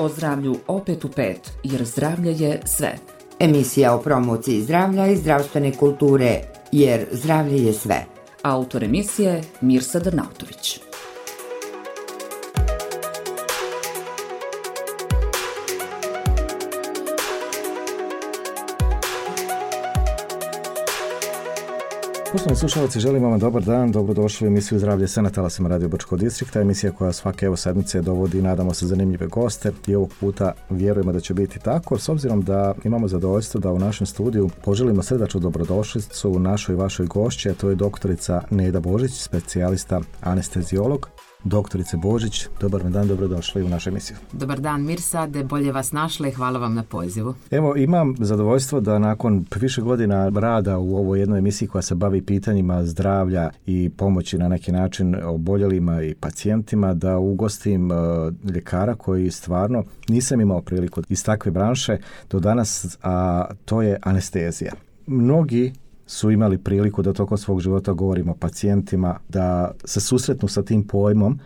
O zdravlju opet u pet, jer zdravlje je sve. Emisija o promociji zdravlja i zdravstvene kulture, jer zdravlje je sve. Autor emisije Mirsa Drnautović. Poštovani slušalci, želimo vam dobar dan, dobrodošli u emisiju Zdravlje sve na talasima Radio Brčkog distrikta, emisija koja svake sedmice dovodi, nadamo se, zanimljive goste i ovog puta vjerujemo da će biti tako, s obzirom da imamo zadovoljstvo da u našem studiju poželimo srdačnu dobrodošlicu našoj i vašoj gošći, a to je doktorica Neda Božić, specijalista anesteziolog. Doktorice Božić, dobar dan, dobrodošli u našu emisiju. Dobar dan Mirsa, da bolje vas našla i hvala vam na pozivu. Evo, imam zadovoljstvo da nakon više godina rada u ovoj jednoj emisiji koja se bavi pitanjima zdravlja i pomoći na neki način oboljelima i pacijentima, da ugostim ljekara koji stvarno nisam imao priliku iz takve branše do danas, a to je anestezija. Mnogi su imali priliku da tokom svog života govorimo o pacijentima, da se susretnu sa tim pojmom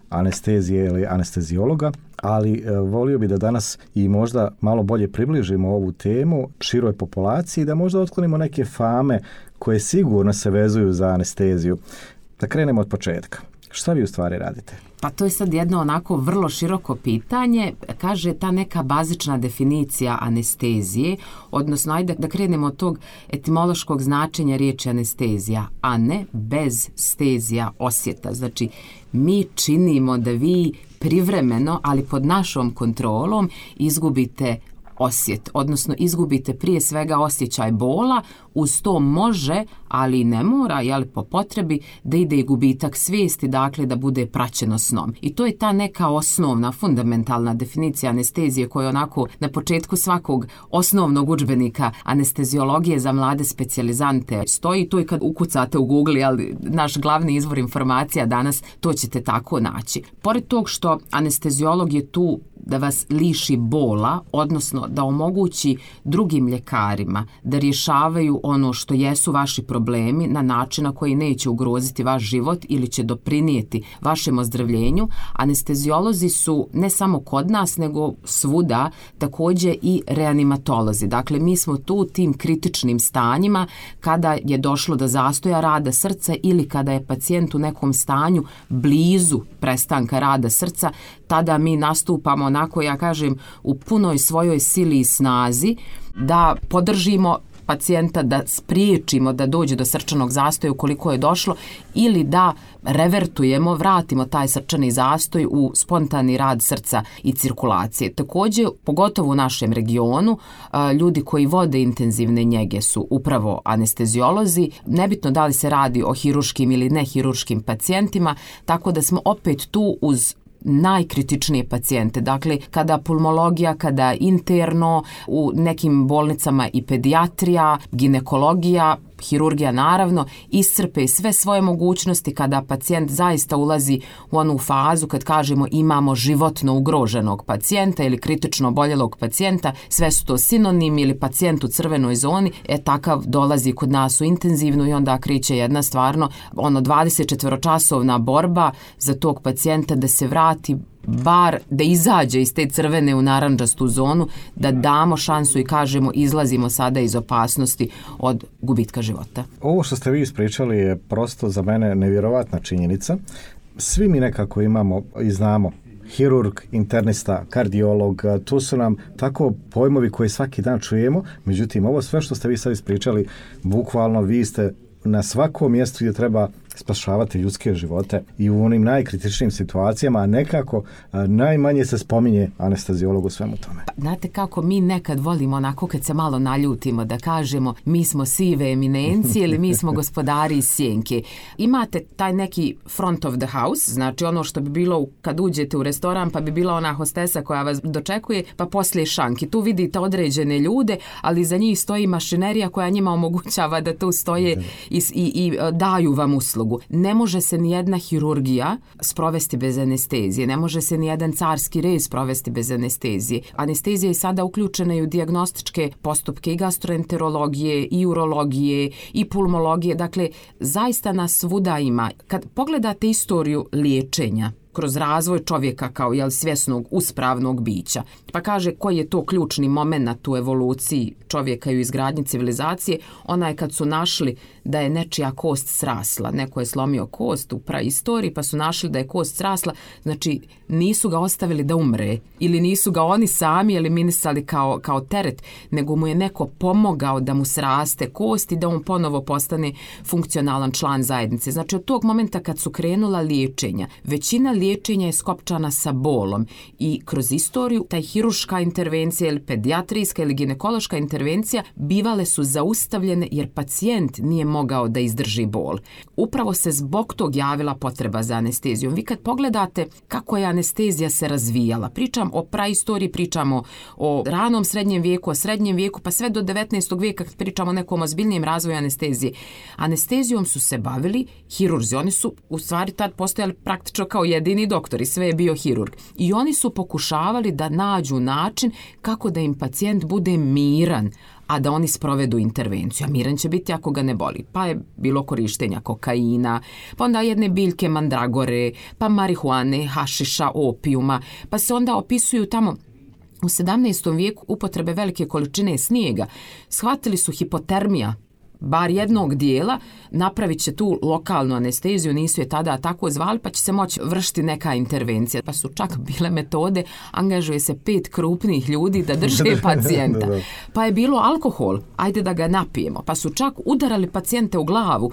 anestezije ili anesteziologa, ali volio bi da danas i možda malo bolje približimo ovu temu široj populaciji, da možda otklonimo neke fame koje sigurno se vezuju za anesteziju. Da krenemo od početka. Šta vi u stvari radite? Pa to je sad jedno onako vrlo široko pitanje. Kaže ta neka bazična definicija anestezije, odnosno ajde da krenemo od tog etimološkog značenja riječi anestezija. Ane, bez stezija, osjeta. Znači, mi činimo da vi privremeno, ali pod našom kontrolom, izgubite osjet, odnosno izgubite prije svega osjećaj bola, uz to može, ali ne mora, jel, po potrebi, da ide i gubitak svijesti, dakle da bude praćeno snom. I to je ta neka osnovna, fundamentalna definicija anestezije koja onako na početku svakog osnovnog udžbenika anesteziologije za mlade specijalizante stoji. To je kad ukucate u Google, ali naš glavni izvor informacija danas, to ćete tako naći. Pored tog što anesteziolog je tu da vas liši bola, odnosno da omogući drugim ljekarima da rješavaju ono što jesu vaši problemi na način na koji neće ugroziti vaš život ili će doprinijeti vašem ozdravljenju. Anesteziolozi su ne samo kod nas, nego svuda također i reanimatolozi. Dakle, mi smo tu tim kritičnim stanjima kada je došlo do zastoja rada srca ili kada je pacijent u nekom stanju blizu prestanka rada srca, tada mi nastupamo onako, ja kažem, u punoj svojoj sili i snazi da podržimo pacijenta, da spriječimo da dođe do srčanog zastoja ukoliko je došlo ili da revertujemo, vratimo taj srčani zastoj u spontani rad srca i cirkulacije. Također, pogotovo u našem regionu, ljudi koji vode intenzivne njege su upravo anesteziolozi, nebitno da li se radi o hiruškim ili nehiruškim pacijentima, tako da smo opet tu uz najkritičnije pacijente. Dakle, kada pulmologija, kada interno, u nekim bolnicama i pedijatrija, ginekologija, hirurgija naravno, iscrpe sve svoje mogućnosti kada pacijent zaista ulazi u onu fazu kad kažemo imamo životno ugroženog pacijenta ili kritično oboljelog pacijenta, sve su to sinonimi ili pacijent u crvenoj zoni, takav dolazi kod nas u intenzivnu i onda kreće jedna stvarno 24-časovna borba za tog pacijenta da se vrati, bar da izađe iz te crvene u narandžastu zonu, da damo šansu i kažemo izlazimo sada iz opasnosti od gubitka života. Ovo što ste vi ispričali je prosto za mene nevjerovatna činjenica. Svi mi nekako imamo i znamo hirurg, internista, kardiolog, tu su nam tako pojmovi koje svaki dan čujemo, međutim ovo sve što ste vi sad ispričali, bukvalno vi ste na svakom mjestu gdje treba spašavati ljudske živote i u onim najkritičnijim situacijama, a nekako najmanje se spominje anesteziolog u svemu tome. Pa, znate kako mi nekad volimo onako kad se malo naljutimo da kažemo mi smo sive eminencije ili mi smo gospodari iz sjenke. Imate taj neki front of the house, znači ono što bi bilo kad uđete u restoran pa bi bila ona hostesa koja vas dočekuje, pa poslije šanki. Tu vidite određene ljude, ali za njih stoji mašinerija koja njima omogućava da tu stoje i daju vam uslugu. Ne može se ni jedna hirurgija sprovesti bez anestezije, ne može se ni jedan carski rez sprovesti bez anestezije. Anestezija je sada uključena i u dijagnostičke postupke i gastroenterologije, i urologije, i pulmologije, dakle zaista nas svuda ima. Kad pogledate istoriju liječenja kroz razvoj čovjeka kao svjesnog, uspravnog bića. Pa kaže koji je to ključni moment u evoluciji čovjeka i u izgradnji civilizacije, onaj kad su našli da je nečija kost srasla. Neko je slomio kost u praistoriji pa su našli da je kost srasla, znači nisu ga ostavili da umre ili nisu ga oni sami eliminisali kao teret, nego mu je neko pomogao da mu sraste kost i da on ponovo postane funkcionalan član zajednice. Znači od tog momenta kad su krenula liječenja, većina liječenja je skopčana sa bolom i kroz istoriju taj hirurška intervencija ili pedijatrijska ili ginekološka intervencija bivale su zaustavljene jer pacijent nije mogao da izdrži bol. Upravo se zbog tog javila potreba za anestezijom. Vi kad pogledate kako je anestezija se razvijala, pričam o praistoriji, pričamo o ranom srednjem vijeku, o srednjem vijeku, pa sve do 19. vijeka kad pričamo o nekom ozbiljnijem razvoju anestezije. Anestezijom su se bavili hirurzi. Oni su u stvari tad postojali praktično kao jedini doktori, sve je bio hirurg. I oni su pokušavali da nađu način kako da im pacijent bude miran, a da oni sprovedu intervenciju. A miran će biti ako ga ne boli. Pa je bilo korištenja kokaina, pa onda jedne biljke mandragore, pa marihuane, hašiša, opijuma, pa se onda opisuju tamo u 17. vijeku upotrebe velike količine snijega. Shvatili su hipotermija bar jednog dijela, napravit će tu lokalnu anesteziju, nisu je tada tako zvali, pa će se moći vršiti neka intervencija. Pa su čak bile metode, angažuje se 5 krupnih ljudi da drže pacijenta. Pa je bilo alkohol, ajde da ga napijemo. Pa su čak udarali pacijente u glavu.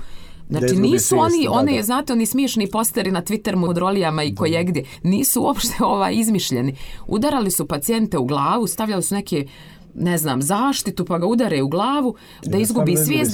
Znači nisu oni, znate, oni smiješni posteri na Twitter modrolijama i kojegdje, nisu uopšte izmišljeni. Udarali su pacijente u glavu, stavljali su neke zaštitu pa ga udare u glavu da izgubi svijest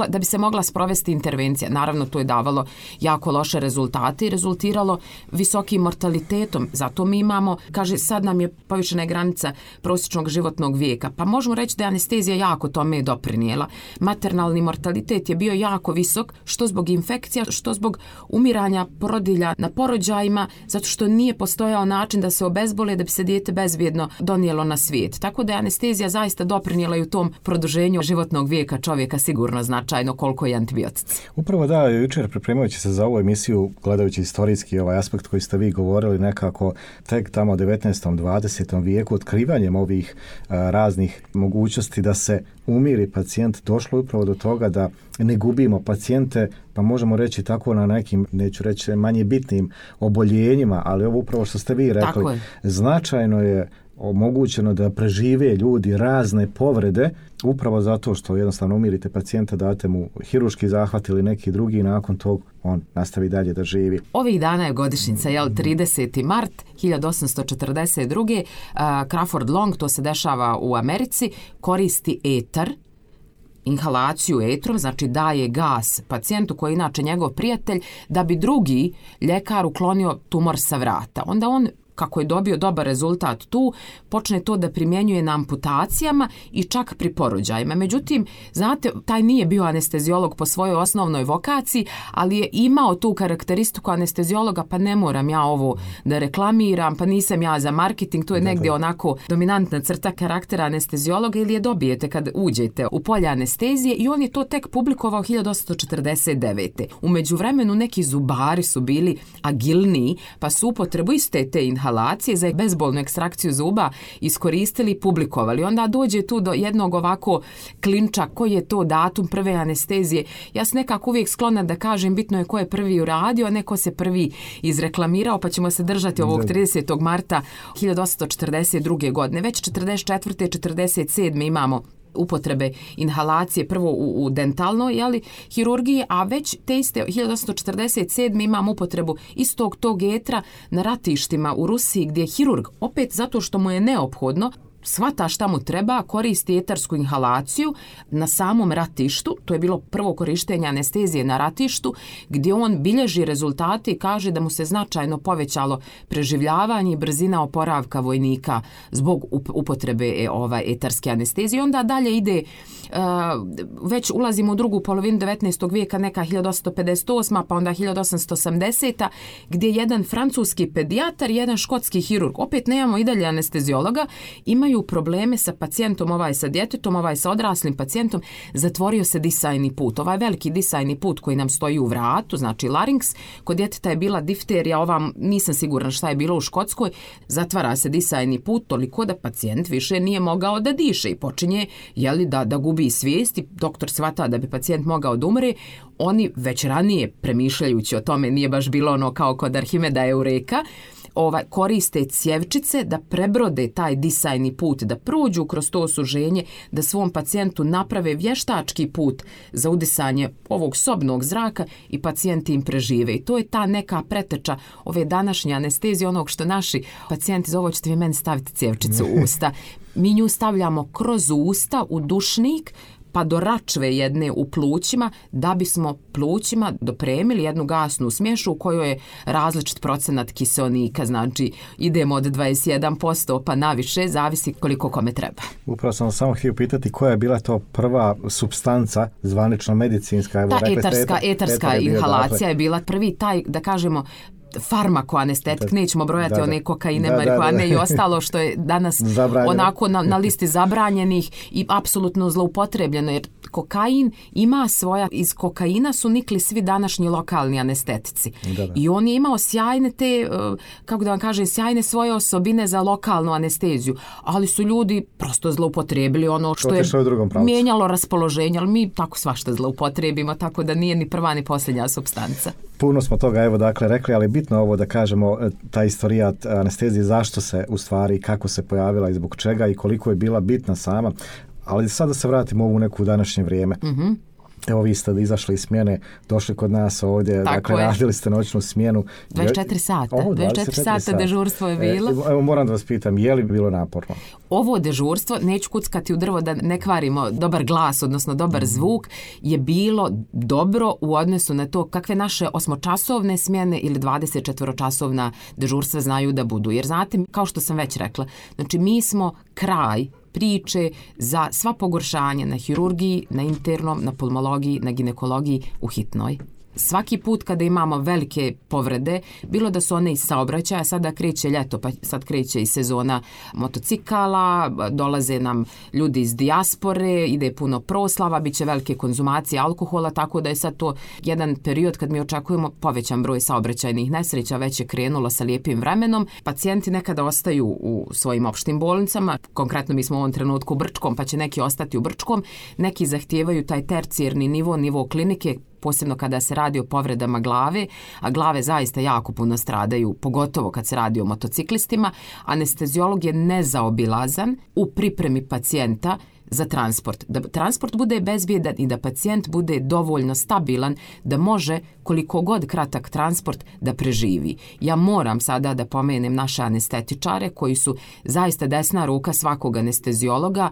da bi se mogla sprovesti intervencija. Naravno to je davalo jako loše rezultate i rezultiralo visokim mortalitetom. Zato mi imamo, kaže sad nam je povišena granica prosječnog životnog vijeka. Pa možemo reći da je anestezija jako tome doprinijela. Maternalni mortalitet je bio jako visok, što zbog infekcija, što zbog umiranja porodilja na porođajima, zato što nije postojao način da se obezbole da bi se dijete bezbjedno donijelo na svijet. Tako da je anestezija zaista doprinijela i u tom produženju životnog vijeka čovjeka sigurno značajno koliko je antibiotici. Upravo da, jučer pripremajući se za ovu emisiju, gledajući historijski aspekt koji ste vi govorili, nekako tek tamo u 19. 20. vijeku otkrivanjem ovih raznih mogućnosti da se umiri pacijent, došlo upravo do toga da ne gubimo pacijente, pa možemo reći tako na nekim, neću reći manje bitnim oboljenjima, ali ovo upravo što ste vi rekli, značajno je omogućeno da prežive ljudi razne povrede upravo zato što jednostavno umirite pacijenta, date mu hirurški zahvat ili neki drugi, nakon tog on nastavi dalje da živi. Ovih dana je godišnjica, 30. mart 1842. Crawford Long, to se dešava u Americi, koristi etar, inhalaciju etrom, znači daje gas pacijentu koji je inače njegov prijatelj, da bi drugi ljekar uklonio tumor sa vrata. Onda on, kako je dobio dobar rezultat tu, počne to da primjenjuje na amputacijama i čak pri porođajima. Međutim, znate, taj nije bio anesteziolog po svojoj osnovnoj vokaciji, ali je imao tu karakteristiku anesteziologa, pa ne moram ja ovo da reklamiram, pa nisam ja za marketing, to je negdje onako dominantna crta karaktera anesteziologa, ili je dobijete kad uđete u polje anestezije, i on je to tek publikovao 1849. U međuvremenu neki zubari su bili agilniji, pa su upotrebu iste te inhalacije za bezbolnu ekstrakciju zuba iskoristili i publikovali. Onda dođe tu do jednog ovako klinča, koji je to datum prve anestezije. Ja sam nekako uvijek sklona da kažem, bitno je ko je prvi uradio, a neko se prvi izreklamirao, pa ćemo se držati ovog 30. marta 1842. godine. Već 44. 47. imamo upotrebe inhalacije, prvo u dentalnoj hirurgiji, a već te iste 1847. imam upotrebu istog tog etra na ratištima u Rusiji, gdje je hirurg, opet zato što mu je neophodno, shvata šta mu treba, koristi etarsku inhalaciju na samom ratištu. To je bilo prvo korištenje anestezije na ratištu, gdje on bilježi rezultate i kaže da mu se značajno povećalo preživljavanje i brzina oporavka vojnika zbog upotrebe etarske anestezije. Onda dalje ide, već ulazimo u drugu polovinu 19. vijeka, neka 1858. pa onda 1880. gdje jedan francuski pedijatar i jedan škotski hirurg, opet nemamo i dalje anesteziologa, imaju imaju probleme sa pacijentom, ovaj sa djetetom, ovaj sa odraslim pacijentom, zatvorio se disajni put. Ovaj veliki disajni put koji nam stoji u vratu, znači larinks, kod djeteta je bila difterija, ova nisam sigurna šta je bilo u Škotskoj, zatvara se disajni put toliko da pacijent više nije mogao da diše i počinje da gubi svijest i doktor shvata da bi pacijent mogao da umre. Oni već ranije premišljajući o tome, nije baš bilo ono kao kod Arhimeda Eureka, koriste cjevčice da prebrode taj disajni put, da prođu kroz to osuženje, da svom pacijentu naprave vještački put za udisanje ovog sobnog zraka i pacijenti im prežive. I to je ta neka preteča ove današnje anestezije, onog što naši pacijenti za ovo ćete vi meni staviti cjevčicu u usta. Mi nju stavljamo kroz usta u dušnik, pa do račve jedne u plućima, da bismo plućima dopremili jednu gasnu smješu u kojoj je različit procenat kiseonika, znači idemo od 21% pa naviše, zavisi koliko kome treba. Upravo sam samo htio pitati koja je bila to prva supstanca, zvanično medicinska. Ta etarska inhalacija je bila prvi taj, da kažemo, farmakoanestetik, nećemo brojati one kokaine, marihuane i ostalo što je danas onako na listi zabranjenih i apsolutno zloupotrebljeno, jer kokain ima svoja, iz kokaina su nikli svi današnji lokalni anestetici. I on je imao sjajne te, kako da vam kažem, sjajne svoje osobine za lokalnu anesteziju, ali su ljudi prosto zloupotrebili ono što je mijenjalo raspoloženje, ali mi tako svašta zloupotrebimo, tako da nije ni prva ni posljednja supstanca. Puno smo toga rekli, ali bitno ovo da kažemo, ta istorijat anestezije, zašto se u stvari, kako se pojavila i zbog čega i koliko je bila bitna sama. Ali sad da se vratimo u ovu neku današnje vrijeme. Mm-hmm. Evo vi ste izašli iz smjene, došli kod nas ovdje, radili ste noćnu smjenu. 24 sata, 24 sata dežurstvo je bilo. Evo moram da vas pitam, je li bilo naporno? Ovo dežurstvo, neću kuckati u drvo da ne kvarimo dobar glas, odnosno dobar zvuk, je bilo dobro u odnosu na to kakve naše 8-časovne smjene ili 24-časovna dežurstva znaju da budu. Jer znate, kao što sam već rekla, znači mi smo kraj priče za sva pogoršanja na hirurgiji, na internom, na pulmologiji, na ginekologiji u hitnoj. Svaki put kada imamo velike povrede, bilo da su one iz saobraćaja, sada kreće ljeto, pa sad kreće i sezona motocikala, dolaze nam ljudi iz dijaspore, ide puno proslava, bit će velike konzumacije alkohola, tako da je sad to jedan period kad mi očekujemo povećan broj saobraćajnih nesreća, već je krenulo sa lijepim vremenom. Pacijenti nekada ostaju u svojim opštim bolnicama, konkretno mi smo u ovom trenutku u Brčkom, pa će neki ostati u Brčkom, neki zahtijevaju taj tercijerni nivo klinike, posebno kada se radi o povredama glave, a glave zaista jako puno stradaju, pogotovo kad se radi o motociklistima. Anesteziolog je nezaobilazan u pripremi pacijenta za transport. Da transport bude bezbjedan i da pacijent bude dovoljno stabilan da može, koliko god kratak transport, da preživi. Ja moram sada da pomenem naše anestetičare koji su zaista desna ruka svakog anesteziologa.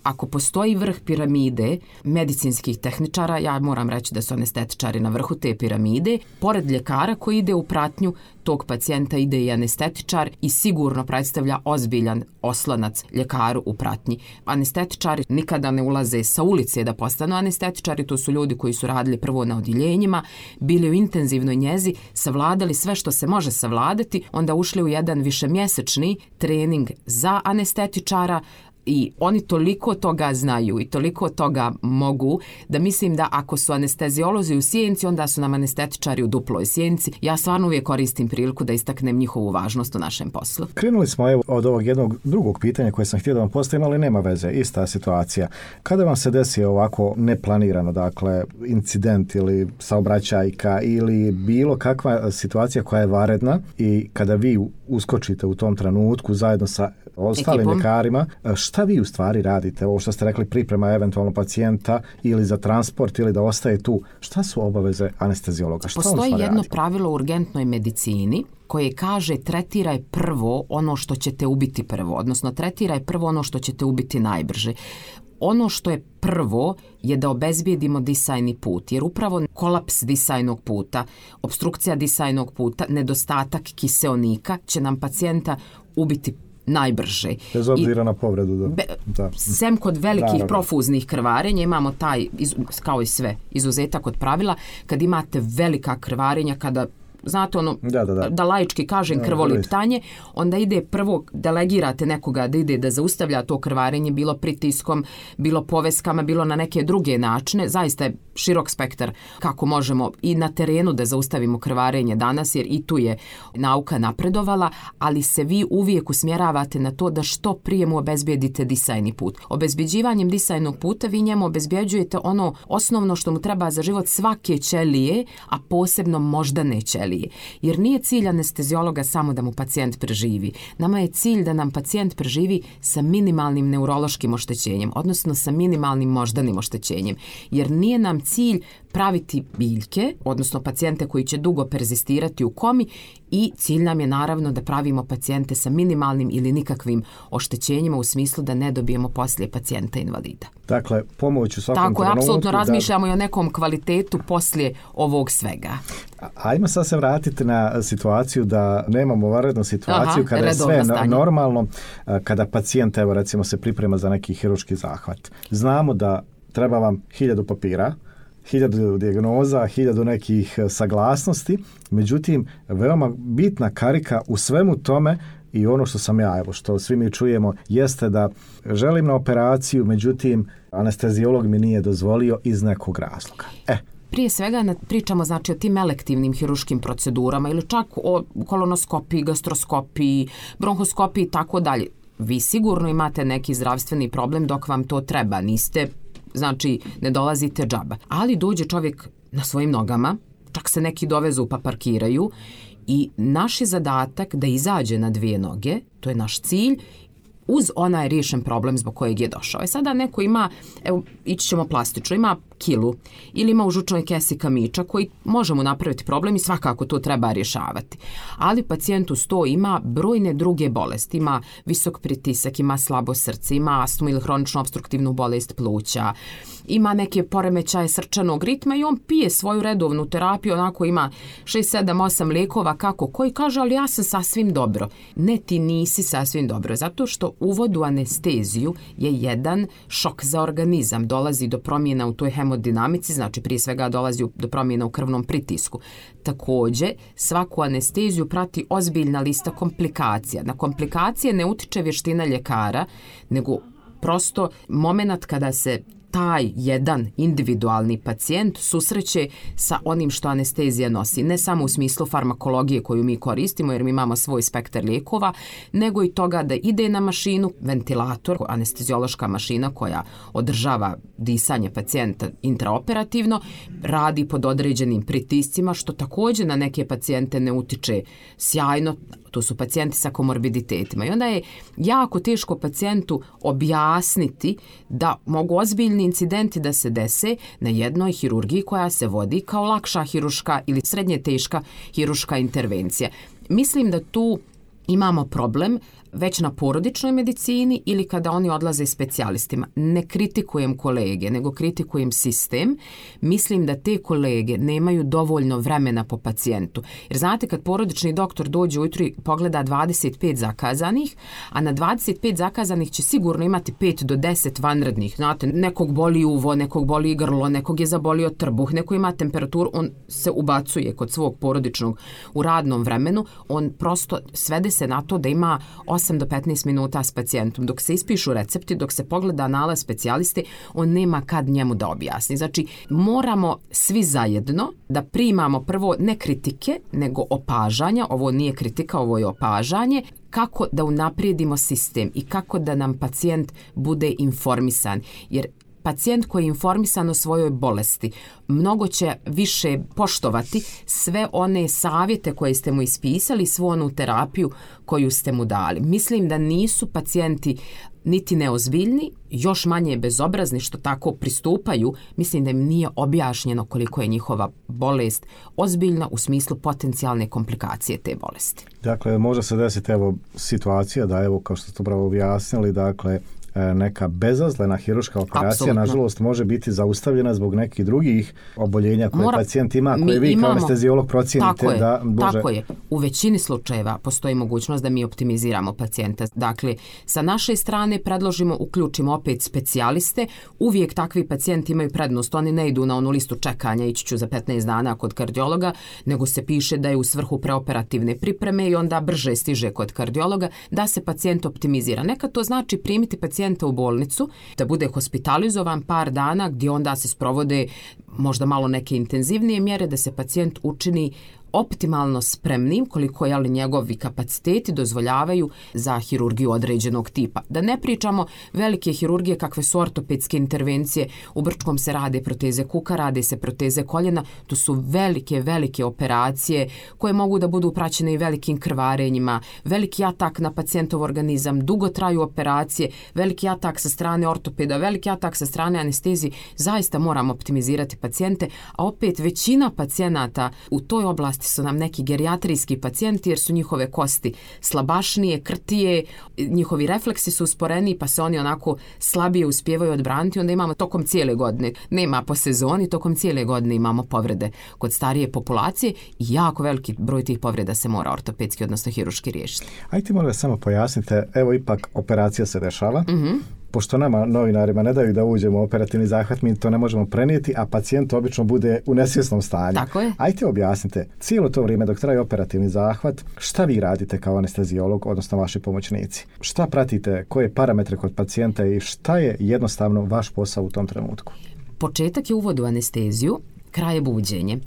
Ako postoji vrh piramide medicinskih tehničara, ja moram reći da su anestetičari na vrhu te piramide. Pored ljekara koji ide u pratnju tog pacijenta ide i anestetičar i sigurno predstavlja ozbiljan oslonac ljekaru u pratnji. Anestetičari nikada ne ulaze sa ulice da postanu anestetičari, to su ljudi koji su radili prvo na odjeljenjima, bili u intenzivnoj njezi, savladali sve što se može savladati, onda ušli u jedan višemjesečni trening za anestetičara, i oni toliko toga znaju i toliko toga mogu da mislim da ako su anesteziolozi u sjenci, onda su nam anestetičari u duploj sjenci. Ja stvarno uvijek koristim priliku da istaknem njihovu važnost u našem poslu. Krenuli smo od ovog jednog drugog pitanja koje sam htio da vam postavim, ali nema veze, ista situacija. Kada vam se desi ovako neplanirano, dakle incident ili saobraćajka ili bilo kakva situacija koja je vanredna i kada vi uskočite u tom trenutku zajedno sa ostalim ljekarima, šta vi u stvari radite? Ovo što ste rekli, priprema eventualno pacijenta ili za transport ili da ostaje tu. Šta su obaveze anesteziologa? Šta postoji jedno pravilo u urgentnoj medicini koje kaže tretiraj prvo ono što će te ubiti prvo, odnosno tretiraj prvo ono što će te ubiti najbrže. Ono što je prvo je da obezbijedimo disajni put, jer upravo kolaps disajnog puta, obstrukcija disajnog puta, nedostatak kiseonika će nam pacijenta ubiti najbrže. Bez obzira na povredu. Sem kod velikih profuznih krvarenja imamo taj, kao i sve, izuzetak od pravila, kad imate velika krvarenja, kada znate da laički kažem krvoliptanje, onda ide prvo, delegirate nekoga da ide da zaustavlja to krvarenje, bilo pritiskom, bilo poveskama, bilo na neke druge načine. Zaista je širok spektar kako možemo i na terenu da zaustavimo krvarenje danas, jer i tu je nauka napredovala, ali se vi uvijek usmjeravate na to da što prije mu obezbijedite disajni put. Obezbjeđivanjem disajnog puta vi njemu obezbjeđujete ono osnovno što mu treba za život svake ćelije, a posebno moždane ćelije. Jer nije cilj anesteziologa samo da mu pacijent preživi. Nama je cilj da nam pacijent preživi sa minimalnim neurološkim oštećenjem, odnosno sa minimalnim moždanim oštećenjem. Jer nije nam cilj praviti biljke, odnosno pacijente koji će dugo perzistirati u komi, i cilj nam je naravno da pravimo pacijente sa minimalnim ili nikakvim oštećenjima u smislu da ne dobijemo poslije pacijenta invalida. Dakle, pomoć u svakom trenutku. Tako, apsolutno razmišljamo i o nekom kvalitetu poslije ovog svega. Ajmo sad se vratiti na situaciju da nemamo vanrednu situaciju kada je sve normalno, kada pacijent, evo recimo, se priprema za neki hirurški zahvat. Znamo da treba vam 1000 papira, 1000 dijagnoza, 1000 nekih saglasnosti, međutim, veoma bitna karika u svemu tome i ono što sam ja, evo što svi mi čujemo, jeste da želim na operaciju, međutim, anesteziolog mi nije dozvolio iz nekog razloga. Prije svega pričamo znači o tim elektivnim hiruškim procedurama ili čak o kolonoskopiji, gastroskopiji, bronhoskopiji i tako dalje. Vi sigurno imate neki zdravstveni problem dok vam to treba, niste, znači ne dolazite džaba. Ali dođe čovjek na svojim nogama, čak se neki dovezu pa parkiraju i naš je zadatak da izađe na 2 noge, to je naš cilj, uz onaj riješen problem zbog kojeg je došao. Sada neko ima, evo, ići ćemo plastično, ima kilu ili ima u žučnoj kesi kamiča koji može mu napraviti problem i svakako to treba rješavati. Ali pacijent uz to ima brojne druge bolesti. Ima visok pritisak, ima slabo srce, ima astmu ili hroničnu opstruktivnu bolest pluća, ima neke poremećaje srčanog ritma i on pije svoju redovnu terapiju, onako ima 6, 7, 8 lijekova kako koji kaže, ali ja sam sasvim dobro. Ne, ti nisi sasvim dobro, zato što uvod u anesteziju je jedan šok za organizam. Dolazi do promjena u toj hemodinamici, znači prije svega dolazi do promjena u krvnom pritisku. Također, svaku anesteziju prati ozbiljna lista komplikacija. Na komplikacije ne utiče vještina ljekara, nego prosto moment kada se taj jedan individualni pacijent susreće sa onim što anestezija nosi. Ne samo u smislu farmakologije koju mi koristimo, jer mi imamo svoj spektar lijekova, nego i toga da ide na mašinu, ventilator, anesteziološka mašina koja održava disanje pacijenta intraoperativno, radi pod određenim pritiscima, što također na neke pacijente ne utiče sjajno. To su pacijenti sa komorbiditetima. I onda je jako teško pacijentu objasniti da mogu ozbiljni incidenti da se dese na jednoj hirurgiji koja se vodi kao lakša hiruška ili srednje teška hiruška intervencija. Mislim da tu imamo problem već na porodičnoj medicini ili kada oni odlaze specijalistima. Ne kritikujem kolege, nego kritikujem sistem. Mislim da te kolege nemaju dovoljno vremena po pacijentu. Jer znate, kad porodični doktor dođe ujutro i pogleda 25 zakazanih, a na 25 zakazanih će sigurno imati 5 do 10 vanrednih. Znate, nekog boli uvo, nekog boli grlo, nekog je zabolio trbuh, neko ima temperaturu, on se ubacuje kod svog porodičnog u radnom vremenu, on prosto svede se na to da ima 8 do 15 minuta s pacijentom. Dok se ispišu recepti, dok se pogleda nalaz specijaliste, on nema kad njemu da objasni. Znači, moramo svi zajedno da primamo prvo ne kritike, nego opažanja. Ovo nije kritika, ovo je opažanje. Kako da unaprijedimo sistem i kako da nam pacijent bude informisan. Jer pacijent koji je informisan o svojoj bolesti mnogo će više poštovati sve one savjete koje ste mu ispisali, svu onu terapiju koju ste mu dali. Mislim da nisu pacijenti niti neozbiljni, još manje bezobrazni što tako pristupaju. Mislim da im nije objašnjeno koliko je njihova bolest ozbiljna u smislu potencijalne komplikacije te bolesti. Dakle, može se desiti evo situacija da evo kao što ste upravo objasnili, dakle neka bezazlena hirurška operacija, Apsolutno. nažalost, može biti zaustavljena zbog nekih drugih oboljenja koje pacijent ima, koje vi kao anesteziolog procijenite da može... Tako je. U većini slučajeva postoji mogućnost da mi optimiziramo pacijenta. Dakle, sa naše strane predložimo, uključimo opet specijaliste. Uvijek takvi pacijenti imaju prednost. Oni ne idu na onu listu čekanja, ići ću za 15 dana kod kardiologa, nego se piše da je u svrhu preoperativne pripreme i onda brže stiže kod kardiologa, da se pacijent optimizira. Nekad to znači primiti pacijenta u bolnicu, da bude hospitalizovan par dana gdje onda se sprovode možda malo neke intenzivnije mjere, da se pacijent učini optimalno spremnim koliko je njegovi kapaciteti dozvoljavaju za hirurgiju određenog tipa. Da ne pričamo velike hirurgije kakve su ortopedske intervencije, u Brčkom se rade proteze kuka, rade se proteze koljena, to su velike operacije koje mogu da budu praćene i velikim krvarenjima, veliki atak na pacijentov organizam, dugo traju operacije, veliki atak sa strane ortopeda, veliki atak sa strane anestezije, zaista moramo optimizirati pacijente, a opet većina pacijenata u toj oblasti su nam neki gerijatrijski pacijenti jer su njihove kosti slabašnije, krtije, njihovi refleksi su usporeni pa se oni onako slabije uspijevaju odbraniti, onda imamo tokom cijele godine, nema po sezoni, tokom cijele godine imamo povrede kod starije populacije i jako veliki broj tih povreda se mora ortopedski, odnosno hirurški riješiti. Ajde molim vas samo pojasnite, evo ipak operacija se dešava, pošto nama novinarima ne daju da uđemo u operativni zahvat, mi to ne možemo prenijeti, a pacijent obično bude u nesvjesnom stanju. Tako je. Ajde objasnite, cijelo to vrijeme dok traje operativni zahvat, šta vi radite kao anesteziolog, odnosno vaši pomoćnici? Šta pratite, koje parametre kod pacijenta i šta je jednostavno vaš posao u tom trenutku? Početak je uvod u anesteziju, kraj je buđenje.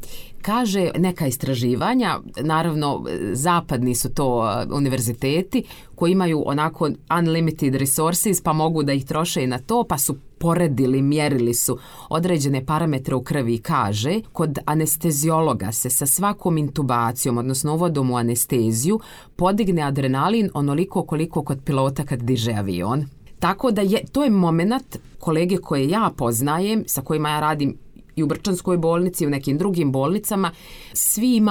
Kaže neka istraživanja, naravno zapadni su to univerziteti koji imaju onako unlimited resources pa mogu da ih troše i na to, pa su poredili, mjerili su određene parametre u krvi i kaže kod anesteziologa se sa svakom intubacijom, odnosno uvodom u anesteziju, podigne adrenalin onoliko koliko kod pilota kad diže avion. Tako da to je moment, kolege koje ja poznajem, sa kojima ja radim i u Brčanskoj bolnici i u nekim drugim bolnicama, svi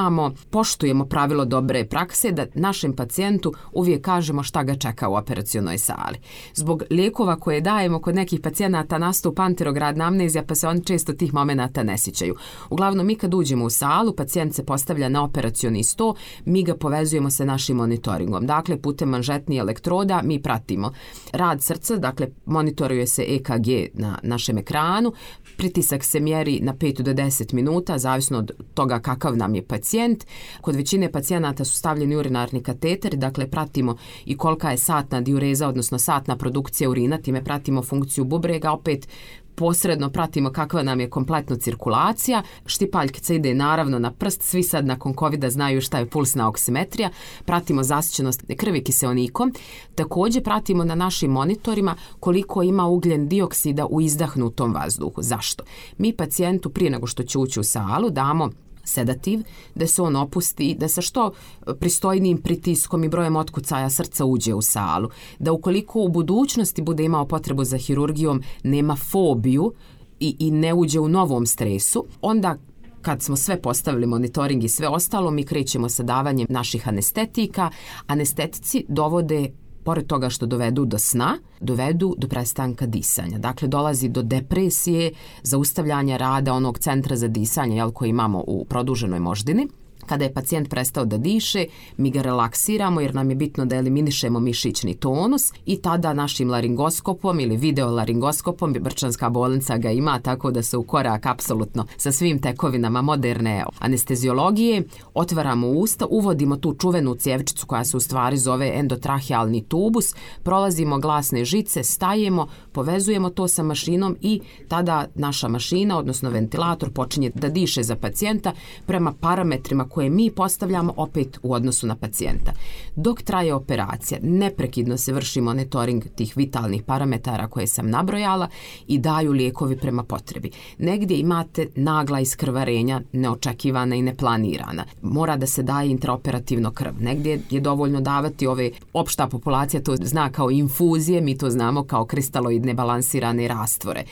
poštujemo pravilo dobre prakse da našem pacijentu uvijek kažemo šta ga čeka u operacionoj sali. Zbog lijekova koje dajemo kod nekih pacijenata nastupa anterogradna amnezija pa se oni često tih momenata ne sjećaju. Uglavnom mi kad uđemo u salu, pacijent se postavlja na operacioni sto, mi ga povezujemo sa našim monitoringom. Dakle, putem manžetnih elektroda mi pratimo rad srca, dakle monitoruje se EKG na našem ekranu, pritisak se mjeri na 5 do 10 minuta, zavisno od toga kakav nam je pacijent. Kod većine pacijenata su stavljeni urinarni kateteri, dakle pratimo i kolika je satna diureza, odnosno satna produkcija urina, time pratimo funkciju bubrega, opet posredno pratimo kakva nam je kompletno cirkulacija. Štipaljkica ide naravno na prst, svi sad nakon covida znaju šta je pulsna oksimetrija, pratimo zasićenost krvi kiseonikom, također pratimo na našim monitorima koliko ima ugljen dioksida u izdahnutom vazduhu. Zašto? Mi pacijentu prije nego što će ući u salu damo sedativ, da se on opusti, da sa što pristojnijim pritiskom i brojem otkucaja srca uđe u salu, da ukoliko u budućnosti bude imao potrebu za hirurgijom, nema fobiju i ne uđe u novom stresu, onda kad smo sve postavili, monitoring i sve ostalo, mi krećemo sa davanjem naših anestetika. Anestetici dovode, pored toga što dovedu do sna, dovedu do prestanka disanja. Dakle, dolazi do depresije, zaustavljanja rada onog centra za disanje koji imamo u produženoj moždini. Kada je pacijent prestao da diše, mi ga relaksiramo jer nam je bitno da eliminišemo mišićni tonus i tada našim laringoskopom ili videolaringoskopom, Brčanska bolnica ga ima tako da se u korak apsolutno sa svim tekovinama moderne anesteziologije, otvaramo usta, uvodimo tu čuvenu cjevčicu koja se u stvari zove endotrahealni tubus, prolazimo glasne žice, stajemo, povezujemo to sa mašinom i tada naša mašina, odnosno ventilator, počinje da diše za pacijenta prema parametrima koje mi postavljamo opet u odnosu na pacijenta. Dok traje operacija, neprekidno se vrši monitoring tih vitalnih parametara koje sam nabrojala i daju lijekovi prema potrebi. Negdje imate nagla iskrvarenja, neočekivana i neplanirana. Mora da se daje intraoperativno krv. Negdje je dovoljno davati opšta populacija to zna kao infuzije, mi to znamo kao kristaloidne nebalansirane rastvore.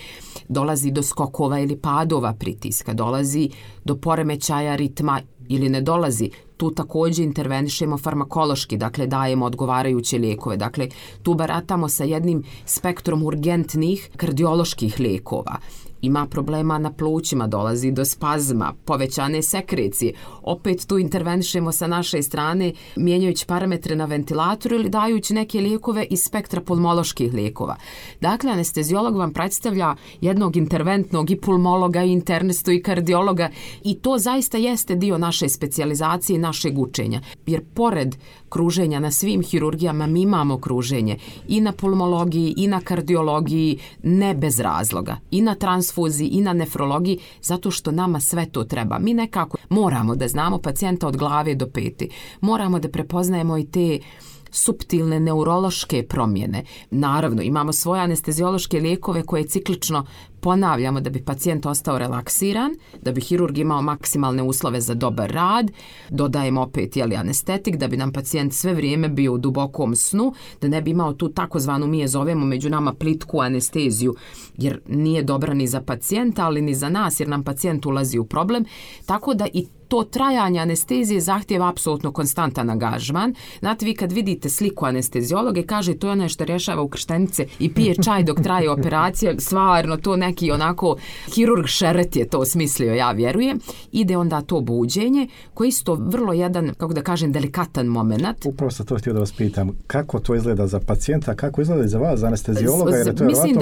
Dolazi do skokova ili padova pritiska, dolazi do poremećaja ritma ili ne dolazi. Tu također intervenišemo farmakološki, dakle dajemo odgovarajuće lijekove. Dakle, tu baratamo sa jednim spektrom urgentnih kardioloških lijekova. Ima problema na plućima, dolazi do spazma, povećane sekrecije. Opet tu intervenišemo sa naše strane, mijenjajući parametre na ventilatoru ili dajući neke lijekove iz spektra pulmoloških lijekova. Dakle, anesteziolog vam predstavlja jednog interventnog i pulmologa, i internistu, i kardiologa, i to zaista jeste dio naše specijalizacije i našeg učenja. Jer pored kruženja na svim hirurgijama mi imamo kruženje i na pulmologiji, i na kardiologiji, ne bez razloga, i na transfuziji, i na nefrologiji, zato što nama sve to treba. Mi nekako moramo da znamo pacijenta od glave do pete. Moramo da prepoznajemo i te suptilne neurološke promjene. Naravno, imamo svoje anesteziološke lijekove koje ciklično ponavljamo da bi pacijent ostao relaksiran, da bi hirurg imao maksimalne uslove za dobar rad, dodajemo opet anestetik da bi nam pacijent sve vrijeme bio u dubokom snu, da ne bi imao tu takozvanu, mi je zovemo među nama plitku anesteziju, jer nije dobra ni za pacijenta, ali ni za nas, jer nam pacijent ulazi u problem, tako da i to trajanje anestezije zahtijeva apsolutno konstantan angažman. Znate, vi kad vidite sliku anesteziologe, kaže to je ono što rješava ukrštenice i pije čaj dok traje operacija, stvarno to neki onako hirurg Šeret je to smislio, ja vjerujem. Ide onda to buđenje, koji je isto vrlo jedan, kako da kažem, delikatan moment. Upravo sam to htio da vas pitam, kako to izgleda za pacijenta, kako izgleda i za vas, za anesteziologa? Jer to mislim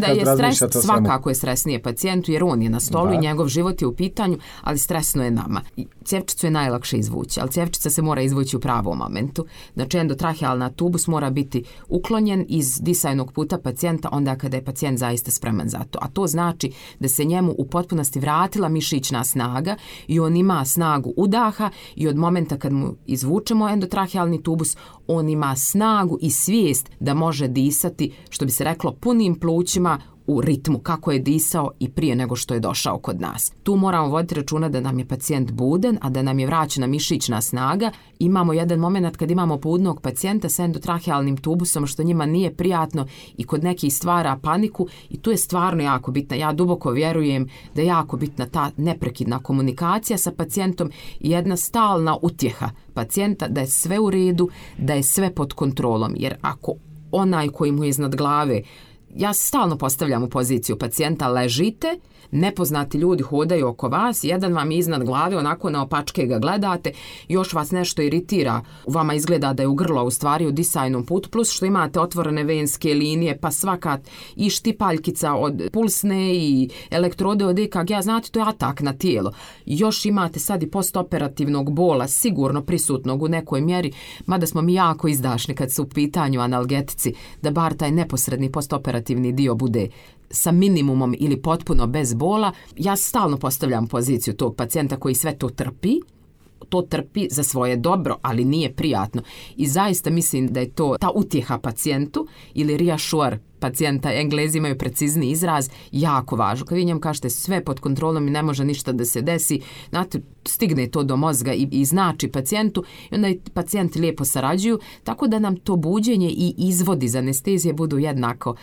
da je stres, svakako je stresnije pacijentu, jer on je na stolu i njegov život je u pitanju, ali stresno je nama. Cjevčicu je najlakše izvući, ali cjevčica se mora izvući u pravom momentu. Znači, endotrahealna tubus mora biti uklonjen iz disajnog puta pacijenta onda kada je pacijent zaista spreman za to. A to znači da se njemu u potpunosti vratila mišićna snaga i on ima snagu udaha i od momenta kad mu izvučemo endotrahealni tubus, on ima snagu i svijest da može disati, što bi se reklo, punim plućima u ritmu kako je disao i prije nego što je došao kod nas. Tu moramo voditi računa da nam je pacijent buden, a da nam je vraćena mišićna snaga. Imamo jedan moment kad imamo budnog pacijenta sa endotrahealnim tubusom, što njima nije prijatno i kod nekih stvara paniku, i tu je stvarno jako bitna. Ja duboko vjerujem da je jako bitna ta neprekidna komunikacija sa pacijentom i jedna stalna utjeha pacijenta da je sve u redu, da je sve pod kontrolom. Jer ako onaj koji mu je iznad glave, ja se stalno postavljam u poziciju pacijenta, ležite, nepoznati ljudi hodaju oko vas, jedan vam je iznad glave, onako naopačke ga gledate, još vas nešto iritira, vama izgleda da je u grlo, u stvari u disajnom putu, plus što imate otvorene venske linije, pa svaka i štipaljkica od pulsne i elektrode od EKG, znate, to je atak na tijelo. Još imate sad i postoperativnog bola, sigurno prisutnog u nekoj mjeri, mada smo mi jako izdašni kad su u pitanju analgetici, da bar taj neposredni postoperativni dio bude sa minimumom ili potpuno bez bola. Ja stalno postavljam poziciju tog pacijenta koji sve to trpi za svoje dobro, ali nije prijatno. I zaista mislim da je to ta utjeha pacijentu ili reassure pacijenta, Englezi imaju precizni izraz, jako važno. Kad vi njemu kažete sve pod kontrolom i ne može ništa da se desi, znate, stigne to do mozga i znači pacijentu i onda i pacijenti lijepo sarađuju, tako da nam to buđenje i izvodi iz anestezije budu jednako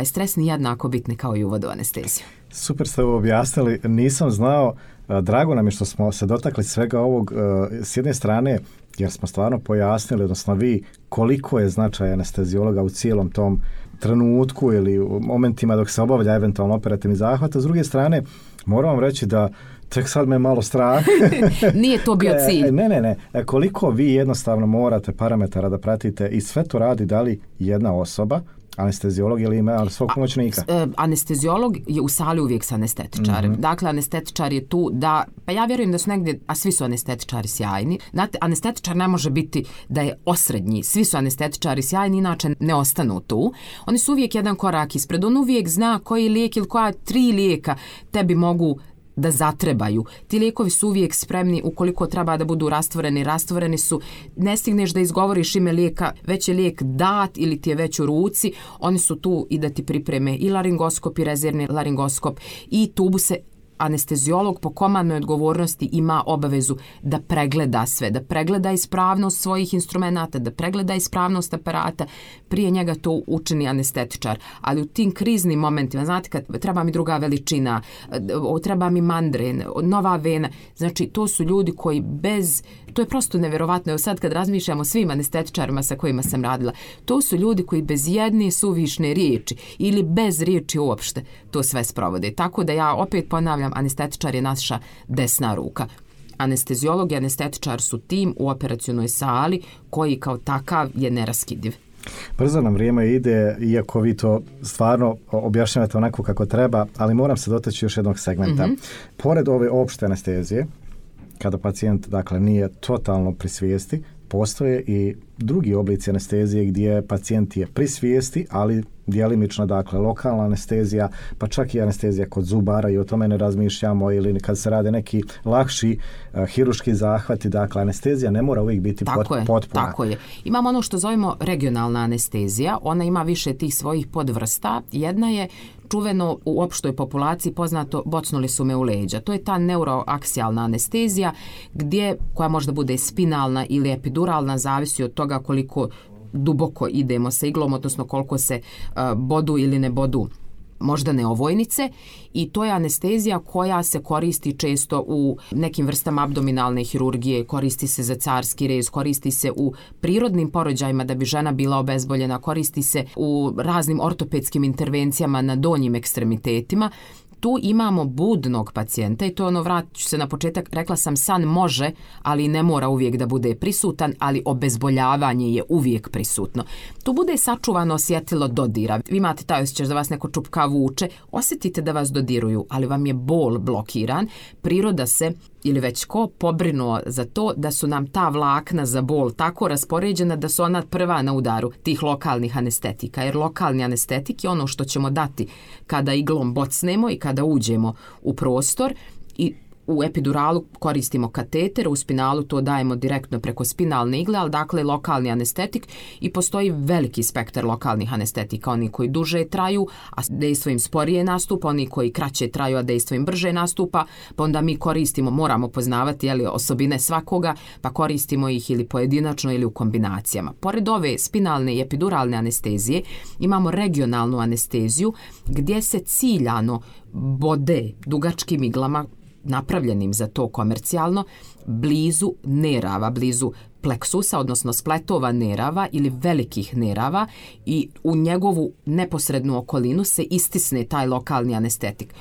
stresni, jednako bitni kao i uvod u anesteziju. Super ste ovo objasnili, nisam znao, drago nam je što smo se dotakli svega ovog s jedne strane, jer smo stvarno pojasnili, odnosno vi, koliko je značaj anesteziologa u cijelom tom trenutku ili u momentima dok se obavlja eventualno operativni zahvat, a s druge strane moram vam reći da tek sad me malo strah. Nije to bio cilj. Ne. Koliko vi jednostavno morate parametara da pratite i sve to radi da li jedna osoba, anesteziolog ili ima svog pomoćnika? Anesteziolog je u sali uvijek sa anestetičarem. Mm-hmm. Dakle, anestetičar je tu da, pa ja vjerujem da su negdje, a svi su anestetičari sjajni. Znate, anestetičar ne može biti da je osrednji. Svi su anestetičari sjajni, inače ne ostanu tu. Oni su uvijek jedan korak ispred. On uvijek zna koji lijek ili koja 3 lijeka tebi mogu da zatrebaju. Ti lijekovi su uvijek spremni, ukoliko treba da budu rastvoreni su. Ne stigneš da izgovoriš ime lijeka, već je lijek dat ili ti je već u ruci, oni su tu i da ti pripreme i laringoskop i rezervni laringoskop i tubuse anesteziolog po komandnoj odgovornosti ima obavezu da pregleda sve, da pregleda ispravnost svojih instrumenata, da pregleda ispravnost aparata, prije njega to učini anestetičar. Ali u tim kriznim momentima, znate, kad treba mi druga veličina, treba mi mandren, nova vena, znači to su ljudi koji to je prosto nevjerovatno. Evo sad kad razmišljamo o svim anestetičarima sa kojima sam radila, to su ljudi koji bez jedne suvišne riječi ili bez riječi uopšte to sve sprovode. Tako da ja opet ponavljam, anestetičar je naša desna ruka. Anesteziolog i anestetičar su tim u operacionoj sali koji kao takav je neraskidiv. Brzo nam vrijeme ide, iako vi to stvarno objašnjavate onako kako treba, ali moram se dotaći još jednog segmenta. Pored ove opšte anestezije, kada pacijent dakle nije totalno pri svijesti, postoje i drugi oblici anestezije gdje pacijent je pri svijesti, ali djelimično, dakle, lokalna anestezija, pa čak i anestezija kod zubara i o tome ne razmišljamo, ili kad se rade neki lakši hiruški zahvati, dakle, anestezija ne mora uvijek biti potpuna. Tako je. Imamo ono što zovemo regionalna anestezija, ona ima više tih svojih podvrsta. Jedna je čuveno u opštoj populaciji poznato bocnuli su me u leđa. To je ta neuroaksijalna anestezija koja možda bude spinalna ili epiduralna, zavisi od toga koliko duboko idemo sa iglom, odnosno koliko se bodu ili ne bodu moždane ovojnice, i to je anestezija koja se koristi često u nekim vrstama abdominalne hirurgije, koristi se za carski rez, koristi se u prirodnim porođajima da bi žena bila obezboljena, koristi se u raznim ortopedskim intervencijama na donjim ekstremitetima. Tu imamo budnog pacijenta i to je ono, vratit ću se na početak, rekla sam san može, ali ne mora uvijek da bude prisutan, ali obezboljavanje je uvijek prisutno. Tu bude sačuvano osjetilo dodira. Vi imate taj osjećaj da vas neko čupka vuče, osjetite da vas dodiruju, ali vam je bol blokiran. Priroda se ili već ko pobrinuo za to da su nam ta vlakna za bol tako raspoređena da su ona prva na udaru tih lokalnih anestetika. Jer lokalni anestetik je ono što ćemo dati kada iglom bocnemo i kada uđemo u prostor, i u epiduralu koristimo kateter, u spinalu to dajemo direktno preko spinalne igle, ali dakle lokalni anestetik, i postoji veliki spektar lokalnih anestetika, oni koji duže traju, a dejstvo im sporije nastupa, oni koji kraće traju, a dejstvo im brže nastupa, pa onda mi koristimo, moramo poznavati osobine svakoga, pa koristimo ih ili pojedinačno ili u kombinacijama. Pored ove spinalne i epiduralne anestezije imamo regionalnu anesteziju gdje se ciljano bode dugačkim iglama napravljenim za to komercijalno, blizu nerava, blizu pleksusa, odnosno spletova nerava ili velikih nerava, i u njegovu neposrednu okolinu se istisne taj lokalni anestetik.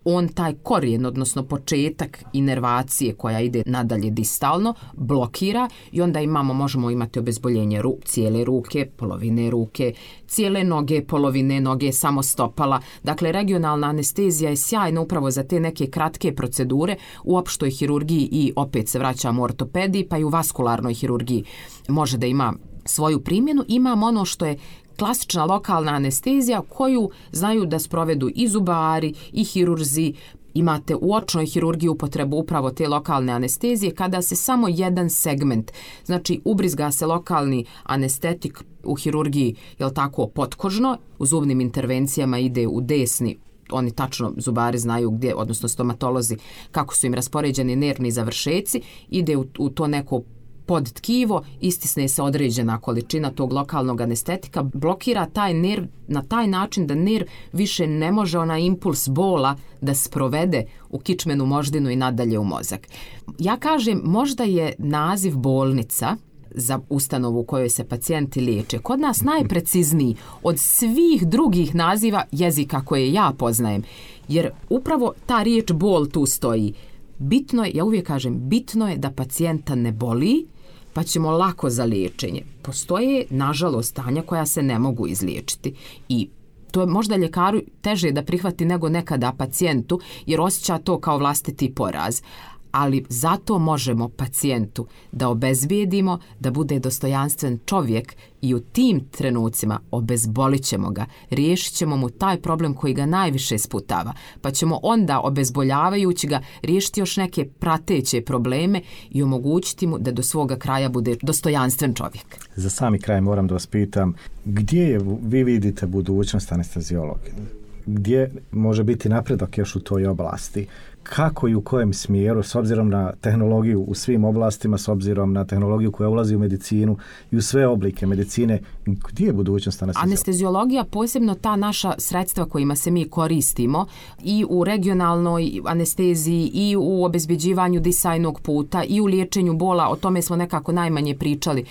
On taj korijen, odnosno početak inervacije koja ide nadalje distalno, blokira i onda možemo imati obezboljenje cijele ruke, polovine ruke, cijele noge, polovine noge, samo stopala. Dakle, regionalna anestezija je sjajna upravo za te neke kratke procedure u opštoj hirurgiji, i opet se vraćamo u ortopediji, pa i u vaskularnoj hirurgiji može da ima svoju primjenu. Imamo ono što je klasična lokalna anestezija koju znaju da sprovedu i zubari i hirurzi. Imate u očnoj hirurgiji upotrebu upravo te lokalne anestezije kada se samo jedan segment, znači ubrizga se lokalni anestetik u hirurgiji, jel tako, potkožno, u zubnim intervencijama ide u desni, oni tačno, zubari znaju gdje, odnosno stomatolozi, kako su im raspoređeni nervni završeci, ide u to neko pod tkivo, istisne se određena količina tog lokalnog anestetika, blokira taj nerv na taj način da nerv više ne može onaj impuls bola da sprovede u kičmenu moždinu i nadalje u mozak. Ja kažem, možda je naziv bolnica za ustanovu u kojoj se pacijenti liječe kod nas najprecizniji od svih drugih naziva jezika koje ja poznajem, jer upravo ta riječ bol tu stoji. Bitno je, ja uvijek kažem, bitno je da pacijenta ne boli, pa ćemo lako za liječenje. Postoje, nažalost, stanja koja se ne mogu izliječiti, i to je možda ljekaru teže da prihvati nego nekada pacijentu, jer osjeća to kao vlastiti poraz. Ali zato možemo pacijentu da obezbijedimo da bude dostojanstven čovjek, i u tim trenucima obezbolit ćemo ga, riješit ćemo mu taj problem koji ga najviše sputava, pa ćemo onda, obezboljavajući ga, riješiti još neke prateće probleme i omogućiti mu da do svoga kraja bude dostojanstven čovjek. Za sami kraj moram da vas pitam, gdje vi vidite budućnost anesteziologije? Gdje može biti napredak još u toj oblasti? kako i u kojem smjeru, s obzirom na tehnologiju u svim oblastima, s obzirom na tehnologiju koja ulazi u medicinu i u sve oblike medicine, gdje je budućnost anesteziologije? Anesteziologija, posebno ta naša sredstva kojima se mi koristimo i u regionalnoj anesteziji i u obezbeđivanju disajnog puta i u liječenju bola, o tome smo nekako najmanje pričali.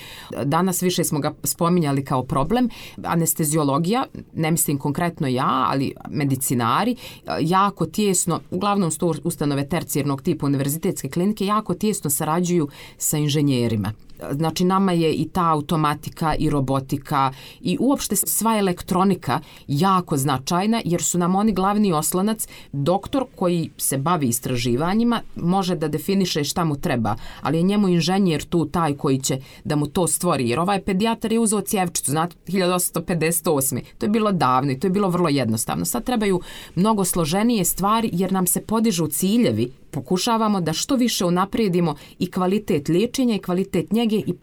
Danas više smo ga spominjali kao problem. Anesteziologija, ne mislim konkretno ja, ali medicinari, jako tijesno, uglavnom su ustanove tercijarnog tipa univerzitetske klinike, jako tijesno sarađuju sa inženjerima. Znači nama je i ta automatika i robotika i uopšte sva elektronika jako značajna jer su nam oni glavni oslonac. Doktor koji se bavi istraživanjima može da definiše šta mu treba, ali je njemu inženjer tu taj koji će da mu to stvori. Jer ovaj pedijatar je uzeo cjevčicu, znate, 1858. To je bilo davno i to je bilo vrlo jednostavno. Sad trebaju mnogo složenije stvari jer nam se podižu ciljevi. Pokušavamo da što više unaprijedimo i kvalitet liječenja i kvalitet njege i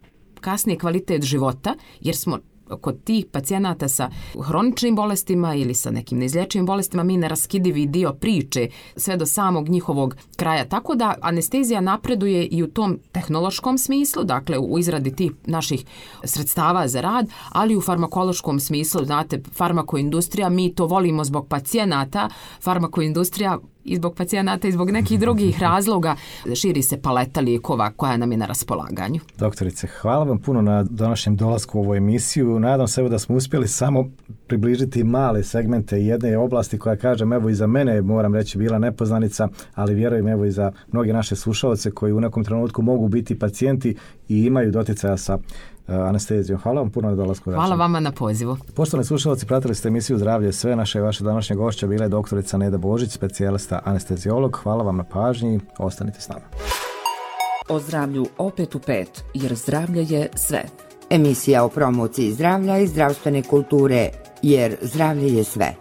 kasnije kvalitet života, jer smo kod tih pacijenata sa hroničnim bolestima ili sa nekim neizlječivim bolestima mi neraskidivi dio priče sve do samog njihovog kraja. Tako da anestezija napreduje i u tom tehnološkom smislu, dakle u izradi tih naših sredstava za rad, ali u farmakološkom smislu, znate, farmakoindustrija, mi to volimo zbog pacijenata, farmakoindustrija i zbog pacijenata i zbog nekih drugih razloga širi se paleta lijekova koja nam je na raspolaganju. Doktorice, hvala vam puno na današnjem dolasku u ovu emisiju. Nadam se da smo uspjeli samo približiti male segmente jedne oblasti koja, kažem, evo i za mene, moram reći, bila nepoznanica, ali vjerujem evo i za mnoge naše slušalce koji u nekom trenutku mogu biti pacijenti i imaju doticaja sa anestezijom. Hvala vam puno na dolasku. Hvala vama na pozivu. Poštovani slušalci, pratili ste emisiju Zdravlje sve. Naše i vaše današnje gošća bila je doktorica Neda Božić, specijalista anesteziolog. Hvala vam na pažnji. Ostanite s nama. O zdravlju opet u 5, jer zdravlje je sve. Emisija o promociji zdravlja i zdravstvene kulture, jer zdravlje je sve.